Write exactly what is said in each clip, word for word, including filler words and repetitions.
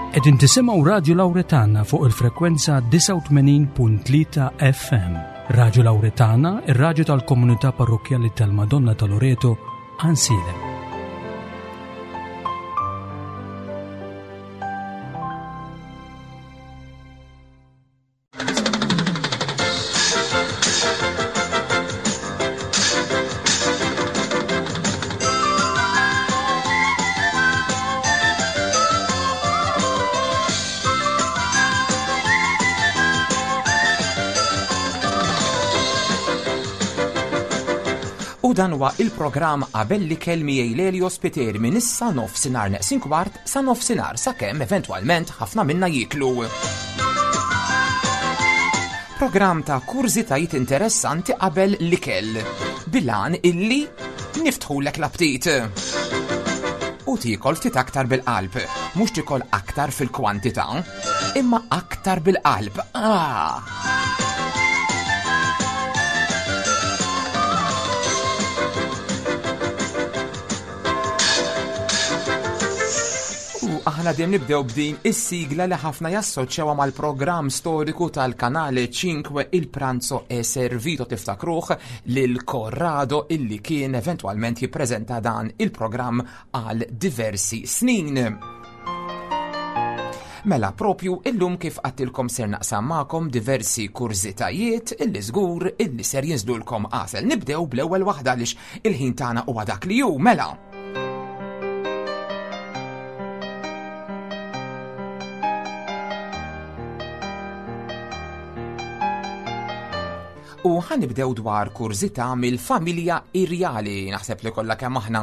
Qegħdin tisimgħu Radio Lauretana fuq il-frekwenza disgħa u tmenin punt tlieta F M. Radio Lauretana, ir-radju tal-Komunità Parrokkjali tal-Madonna ta' Loreto, Għajnsielem. U dan huwa il-programm Qabel l-Ikel miegħi, Lelio Spiteri, minn issa nofsinhar neqsin kwart sa nofsinhar, sakemm eventwalment ħafna minna jiklu. Programm ta' kurżitajiet interessanti qabel l-ikel. Bil-għan illi niftħulek l-aptit. U tiekol ftit aktar bil-qalb, mhux tikol aktar fil-kwantità, imma aktar bil-qalb. Ah! U aħna dejjem nibdew b'din is-sigla li ħafna jassoċjawha mal-programm storiku tal-Kanale ċinque, Il Pranzo è Servito. Tiftakruh lil Corrado, illi kien eventwalment jippreżenta dan il-programm għal diversi snin. Mela, propju illum, kif għedtilkom, ser naqsam magħkom diversi kurżitajiet illi żgur illi ser jinżlulkom għasel. Nibdew bl-ewwel waħda għaliex il-ħin tagħna huwa dak li hu, mela. U ħa nibdew dwar kurżità mill-familja irjali. Naħseb li kollha kemm aħna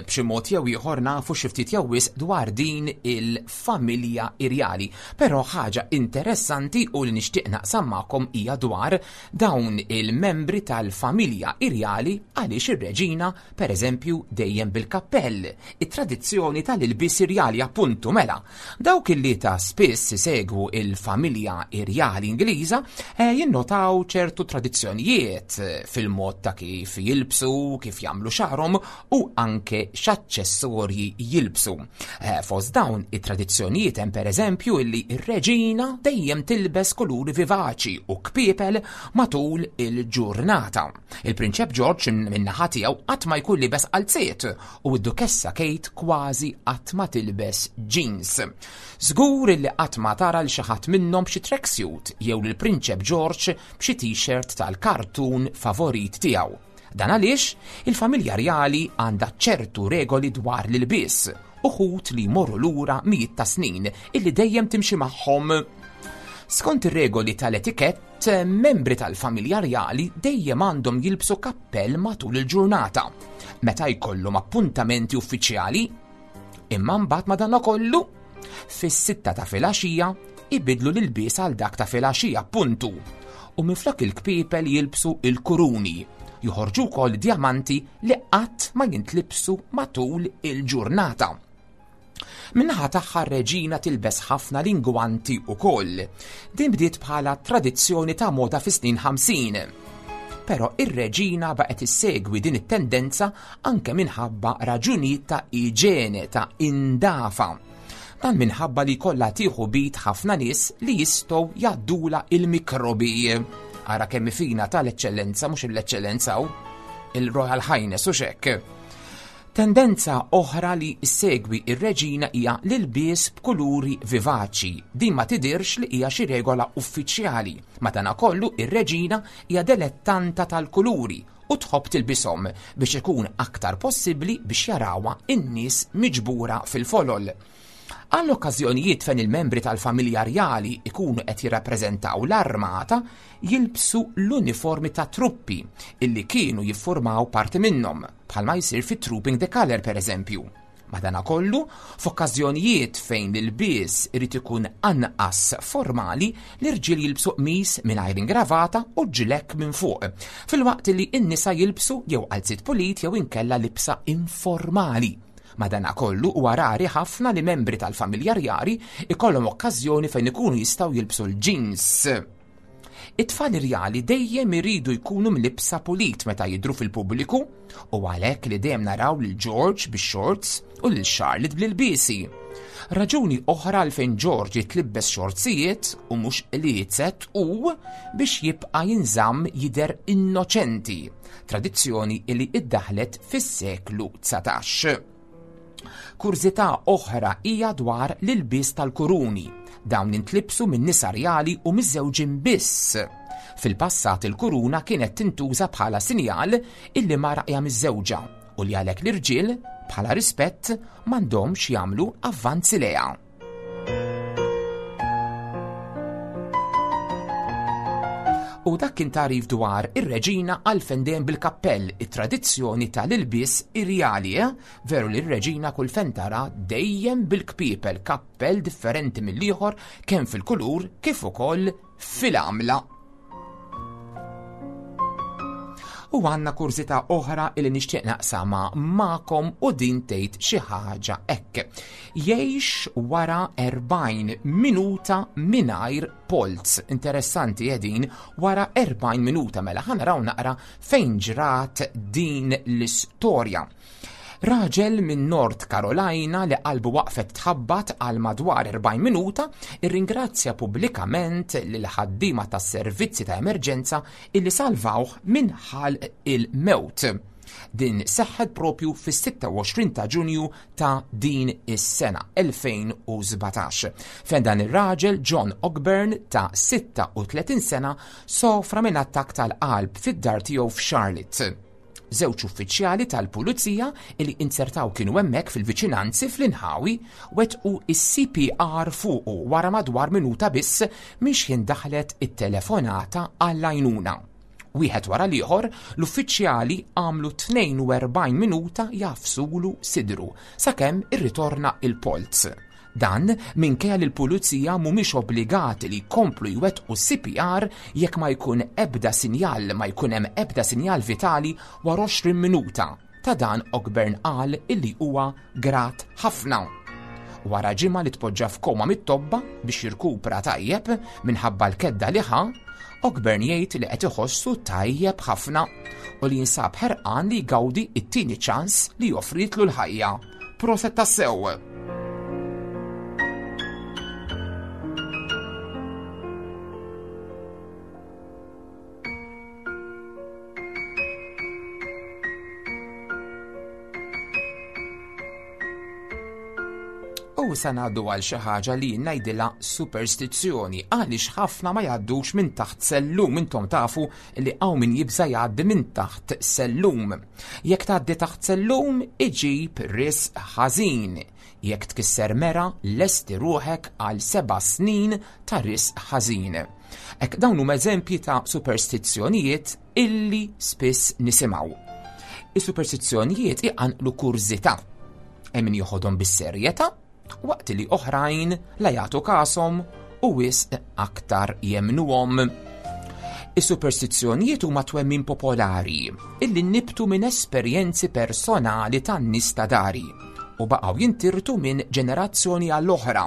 b'xi mod jew ieħor nafu xi ftit jew wisq dwar din il-familja irjali. Però ħaġa interessanti u li nixtieq naqsam magħkom hija dwar dawn il-membri tal-familja irjali, għaliex ir-reġina, pereżempju, dejjem bil-kappell. It-tradizzjoni tal-ilbies irjali, appuntu, mela. Dawk illi ta' spiss isegwu il-familja irjali Ingliża eh, jinnotaw ċertu tradizzjonijiet fil-mod ta' kif jilbsu, kif jagħmlu xagħarhom u anke x'aċċessorji jilbsu. Eh, fost dawn it-tradizzjonijiet hemm, pereżempju, illi ir-reġina dejjem tilbes kuluri vivaċi u kpiepel matul il-ġurnata. Il-Prinċep George min-naħa tiegħu qatt ma jkun libes qalziet u d-Dukessa Kate kważi qatt ma tilbes jeans. Żgur illi qatt ma tara l xi ħadd minnhom b'xi tracksuit jew lill-Prinċep George b'xi t-shirt tal-kartun favorit tiegħu. Dan għaliex il-familja rjali għandha ċertu regoli dwar l-ilbies, uħud li jmorru lura mijiet ta' snin, illi dejjem timxi magħhom. Skont ir-regoli tal-etikett, membri tal-familja rjali dejjem għandhom jilbsu kappell matul il-ġurnata meta jkollhom appuntamenti uffiċjali. Imma mbagħad, madankollu, fis-sitta ta' filgħaxija ibidlu l-ilbies għal dak ta' filgħaxija, puntu. U minflok il-kpiepel jilbsu il-kuruni. Joħorġu wkoll diamanti li qatt ma jintlibsu matul il-ġurnata. Min-naħa tagħha, reġina tilbes ħafna l-ingwanti ukoll. Din bdiet bħala tradizzjoni ta' moda fis-snin ħamsin. Però ir-reġina baqgħet issegwi din it-tendenza anke minħabba raġunijiet ta' iġene, ta' indafa. Dan minħabba li kollha tieħu b'id ħafna nies li jistgħu jgħaddula il-mikrobi. Ara kemm fina tal-eċċellenza, mhux l-eċċellenza, il-Royal Highness u xek. Tendenza oħra li segwi ir-reġina hija l-ilbies b'kuluri vivaċi. Din ma tidirx li hija xi regola uffiċjali. Madanakollu, ir-reġina hija dilettanta tal-kuluri u tħobb tilbishom biex ikun aktar possibbli biex jarawha in-nies miġbura fil-folol. Għall-okkażjonijiet fejn il-membri tal-familja rjali ikunu qed jirrappreżentaw l-armata, jilbsu l-uniformi ta' truppi illi kienu jiffurmaw parti minnhom, bħalma jsir fit Trooping the Colour, per eżempju. Madanakollu, f'okkażjonijiet fejn l-ilbies irid ikun anqas formali, l-irġiel jilbsu qmis mingħajr ingravata u ġlekk minn fuq, filwaqt li n-nisa jilbsu jew qalziet pulit jew inkella libsa informali. Madanakollu, huwa rari ħafna li membri tal-familja rjali ikollhom okkażjoni fejn ikunu jistgħu jilbsu l-jeans. It-tfal irjali dejjem iridu jkunu mlibsa pulit meta jidhru fil-pubbliku u għalhekk li dejjem naraw lil George bix-shorts u lil Charlotte bl-ilbiesi. Raġuni oħra għalfejn George jitlibbes xortsijiet u mhux qliezet u biex jibqa' jinżamm jidher innoċenti, tradizzjoni li iddaħlet fis-seklu dsatax. Kurżità oħra hija dwar l-ilbies tal-kuruni. Dawn intlibsu minn nisa rjali u miżżewġin biss. Fil-passat il-kuruna kienet tintuża bħala sinjal illi mara hija miżżewġa u li għalhekk l-irġiel bħala rispett m'għandhomx jagħmlu avvanzi lejha. U dak kien tagħrif dwar ir-reġina għalfejn dejjem bil-kappell, it-tradizzjoni tal-ilbies irjali, eh? Veru li r-reġina kull fejn tara dejjem bil-kpiepel, kappell differenti mill-ieħor kemm fil-kulur kif ukoll fil-għamla. U għandna kurżità oħra li nixtieq naqsama magħkom u din tgħid xi ħaġa hekk. Jgħix wara erbgħin minuta mingħajr polz. Interessanti din, wara erbgħin minuta mela ħa naraw naqra fejn ġrat din l-istorja. Raġel minn North Carolina li qalbu waqfet tħabbat għal madwar erbgħin minuta irringrazzja pubblikament lil ħaddiema tas-servizzi ta' emerġenza illi salvawh minn ħalq il-mewt. Din seħħet propju fis-sitta u għoxrin ta' Ġunju ta' din is-sena elfejn u sbatax, fejn dan ir-raġel John Ogburn ta' sitta u tletin sena sofra minn attakk tal-qalb fid-dar tiegħu f'Charlotte. Żewġ uffiċjali tal-pulizija li inzertaw kienu hemmhekk fil-viċinanzi fl-inħawi wettqu is-C P R fuqu wara madwar minuta biss minn xħin daħlet it-telefonata għall-għajnuna. Wieħed wara l-ieħor, l-uffiċjali għamlu tnejn u erbgħin minuta jafsulu sidru sakemm irritorna il-polz. Dan minkejja li l-pulizija mhumiex obbligati li jkomplu jwettqu C P R jekk ma jkun ebda sinjal, ma jkun hemm ebda sinjal vitali wara għoxrin minuta. Ta' dan Ogburn qal illi huwa grat ħafna. Wara ġimgħa li tpoġġa f'koma mit-tobba biex jirkupra tajjeb minħabba l-kedda li ħa, Ogburn jgħid li qed iħossu tajjeb ħafna u li jinsab ħerqan li jgawdi it-tieni ċans li joffritlu l-ħajja. Proset tassew! U sa ngħaddu għal xi ħaġa li ngħidilha superstizzjoni, għaliex ħafna ma jgħaddux minn taħt sellum. Intom tafu li hawn min jibża' jgħaddi minn taħt sellum. Jekk tgħaddi taħt sellum iġib risq ħażin. Jekk tkisser mera lesti ruħek għal seba' snin ta' risq ħażin. Hekk dawn huma eżempji ta' superstizzjonijiet illi spiss nisimgħu. Is-superstizzjonijiet iqanqlu kurżità. Hemm min joħodhom bis-serjetà, waqt li oħrajn la jagħtu kasom u wisq aktar jemnuhom. Is-superstizzjonijiet huma twemmin popolari illi nibtu minn esperjenzi personali tan-nies ta' dari u baqgħu jintirtu minn ġenerazzjoni għall-oħra.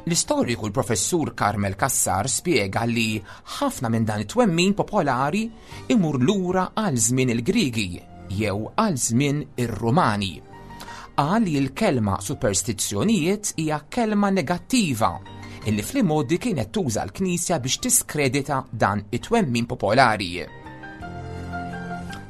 L-istoriku l-professur Carmel Cassar spjega li ħafna minn dan it-twemmin popolari imur lura għal żmien il-Griegi jew għal żmien ir-Rumani. Qal li l-kelma superstizzjonijiet hija kelma negattiva illi fl-imgħoddi kienet tuża l-Knisja biex tiskredita dan it-twemmin popolari.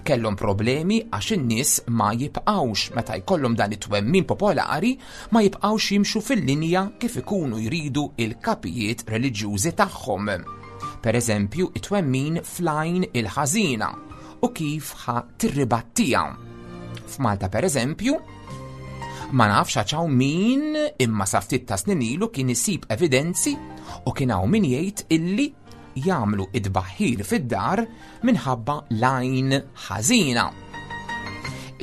Kellhom problemi għax in-nies ma jibqgħux meta jkollhom dan it-twemmin popolari ma jibqgħux jimxu fil-linja kif ikunu jridu il-kapijiet reliġjużi tagħhom. Per eżempju, it-twemmin fl-għajn il-ħażina u kif ħa tirribattija. F'Malta per eżempju, ma nafx għax hawn min imma sa ftit ta' snin ilu kien isib evidenzi u kien hawn min jgħid illi jagħmlu id-baħħir fid-dar minħabba l-għajn ħażina.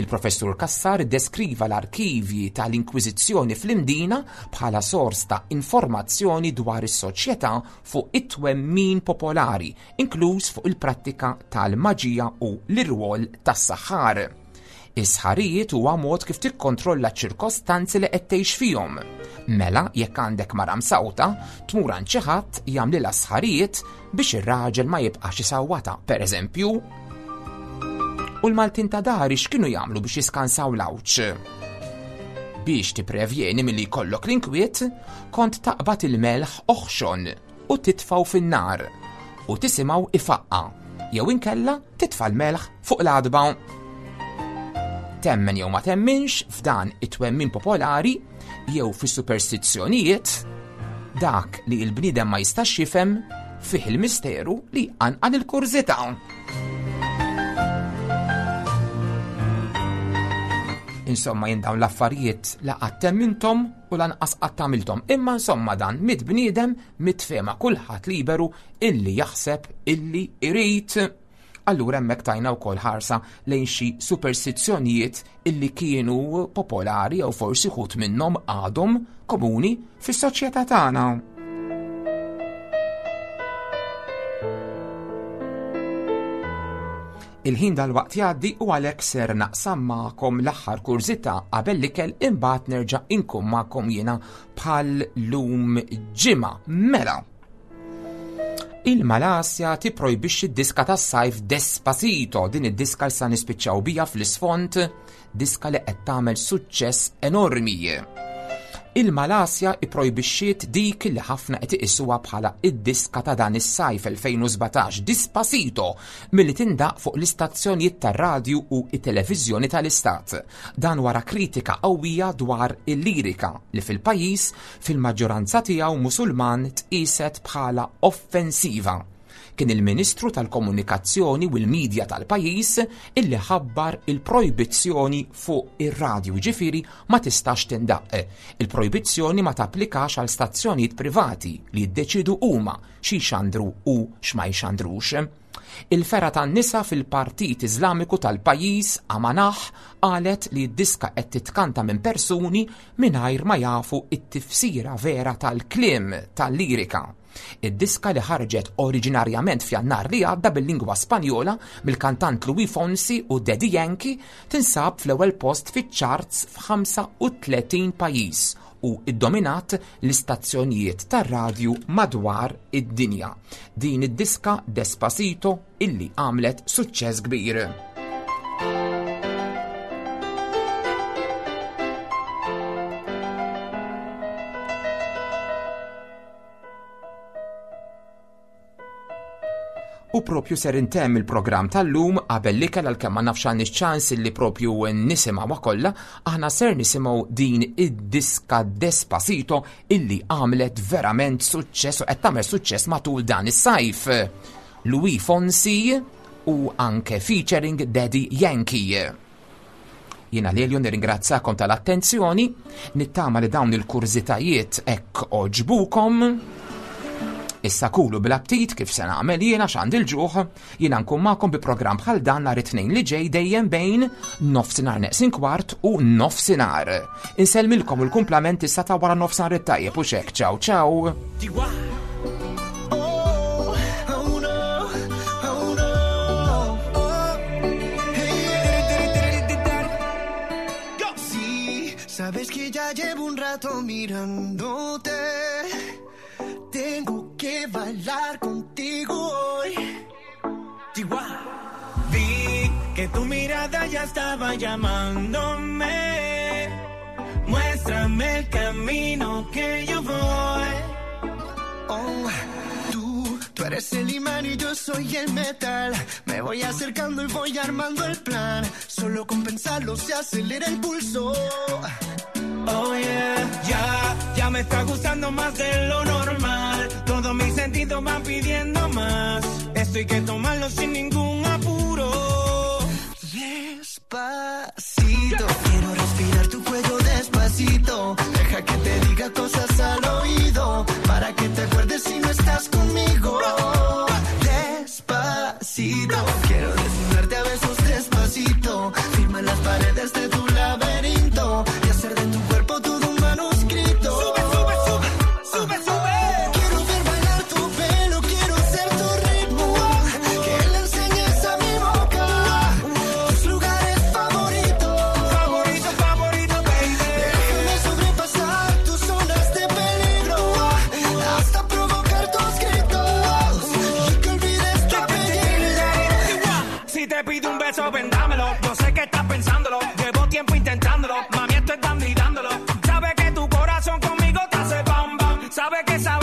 Il-professur Cassar deskriva l-arkivji tal-Inkwiżizzjoni fl-Imdina bħala sors ta' informazzjoni dwar is-soċjetà fuq it-twemmin popolari, inkluż fuq il-prattika tal-maġija u l-irwol tas-saħħar. Is-sħarijiet huwa mod kif tikkontrolla ċ-ċirkostanzi li qed tgħix fihom. Mela jekk għandek mara msawta, tmur għand xi ħadd jagħmlilha sħarijiet biex ir-raġel ma jibqax isawwata, pereżempju. U l-Maltin ta' dari x'kienu jagħmlu biex jiskansaw l-għawġ? Biex tipprevjeni milli jkollok l-inkwiet, kont taqbad il-melħ oħxon u titfgħu fin-nar u tisimgħu ifaqqa, jew inkella titfa' l-melħ fuq l-għadba. Temmen jew ma temminx f'dan it-twemmin popolari jew fis-superstizzjonijiet, dak li l-bniedem ma jistax jifhem fih il-misteru li jqanqal il-kurżità. Insomma, jien dawn l-affarijiet la qatt temminthom u lanqas qatt għamilthom. Imma insomma dan mit bniedem mitfema, kulħadd liberu illi jaħseb illi irid. Allura hemmhekk tajna wkoll ħarsa lejn xi superstizzjonijiet illi kienu popolari jew forsi ħut minnhom għadhom komuni fis-soċjetà tagħna. Il-ħin dal-waqt jgħaddi u għalhekk ser naqsam magħkom l-aħħar kurżità qabel l-ikel, imbagħad nerġa' inkun magħkom jiena bħal lum ġimgħa. Mela, il-Malasja tipprojbixxi d-diska tas-sajf Despacito, din id-diska li sa nispiċċaw bija fl-isfond, diska li qed tagħmel suċċess enormi. Il-Malasja ipprojbixxiet dik li ħafna qed iqisuha bħala id-diska ta' dan is-sajf elfejn u sbatax, Despacito, milli tindaq fuq l-istazzjonijiet tar-radju u t-televiżjoni tal-istat. Dan wara kritika qawwija dwar il-lirika li fil-pajjiż fil-maġġoranza tiegħu Musulman tqiset bħala offensiva. Kien il-Ministru tal-Komunikazzjoni u l-Midja tal-pajjiż illi ħabbar il-projbizzjoni fuq ir-radju, ġifieri ma tistax tindaq. Il-projbizzjoni ma tapplikax għal stazzjonijiet privati li jiddeċidu huma xi jxandru u x'ma jxandrux. Il-fera tan-nisa fil-Partit Iżlamiku tal-pajjiż Amanah qalet li d-diska qed titkanta minn persuni mingħajr ma jafu t-tifsira vera tal-kliem tal-lirika. Id-diska li ħarġet oriġinarjament f'Jannar li għadda bil-lingwa Spanjola mill-kantant Luis Fonsi u Daddy Yankee tinsab fl-ewwel post fiċ-charts f'ħamsa u tletin pajjiż u iddominat l-istazzjonijiet tar-radju madwar id-dinja. Din id-diska Despacito illi għamlet suċċess kbir. U propju ser intemm il-programm tal-lum qabel l-ikel, għalkemm ma nafx għandix ċans li propju nisimgħuha kollha, aħna ser nisimgħu din id-diska Despacito illi għamlet verament suċċess u qed tagħmel suċċess matul dan is-sajf. Luis Fonsi u anke featuring Daddy Yankee. Jiena Lelio nirringrazzakom tal-attenzjoni, nittama li dawn il-kurżitajiet hekk oġbukom. Issa kulu bl-aptit kif se nagħmel jiena x'għandi l-ġuħ, jiena nkun magħkom bi programm bħal dan nhar it-tnejn li ġej dejjem bejn nofsinhar neqsin kwart u nofsinhar. Insellmilkom il-kumplament issa ta' wara nofsinhar it-tajjeb u xek. Ciao ciao. Sabes que ya llevo un rato mirándote. Tengo que bailar contigo hoy. Chihuahua. Vi que tu mirada ya estaba llamándome. Muéstrame el camino que yo voy. Oh, tú, tú eres el imán y yo soy el metal. Me voy acercando y voy armando el plan. Solo con pensarlo se acelera el pulso. Oh yeah, ya, ya me está gustando más de lo normal. Todos mis sentidos van pidiendo más. Esto hay que tomarlo sin ningún apuro. Despacito, quiero respirar tu cuello despacito. Deja que te diga cosas al oído, para que te acuerdes si no estás conmigo. Despacito, quiero desnudarte a besos despacito. Firma las paredes de tu laberinto y hacer de tu cuerpo todo un manuscrito. Sube, sube, sube, sube, sube. Quiero ver bailar tu pelo, quiero ser tu ritmo, que le enseñes a mi boca tus lugares favoritos. Sabe que esa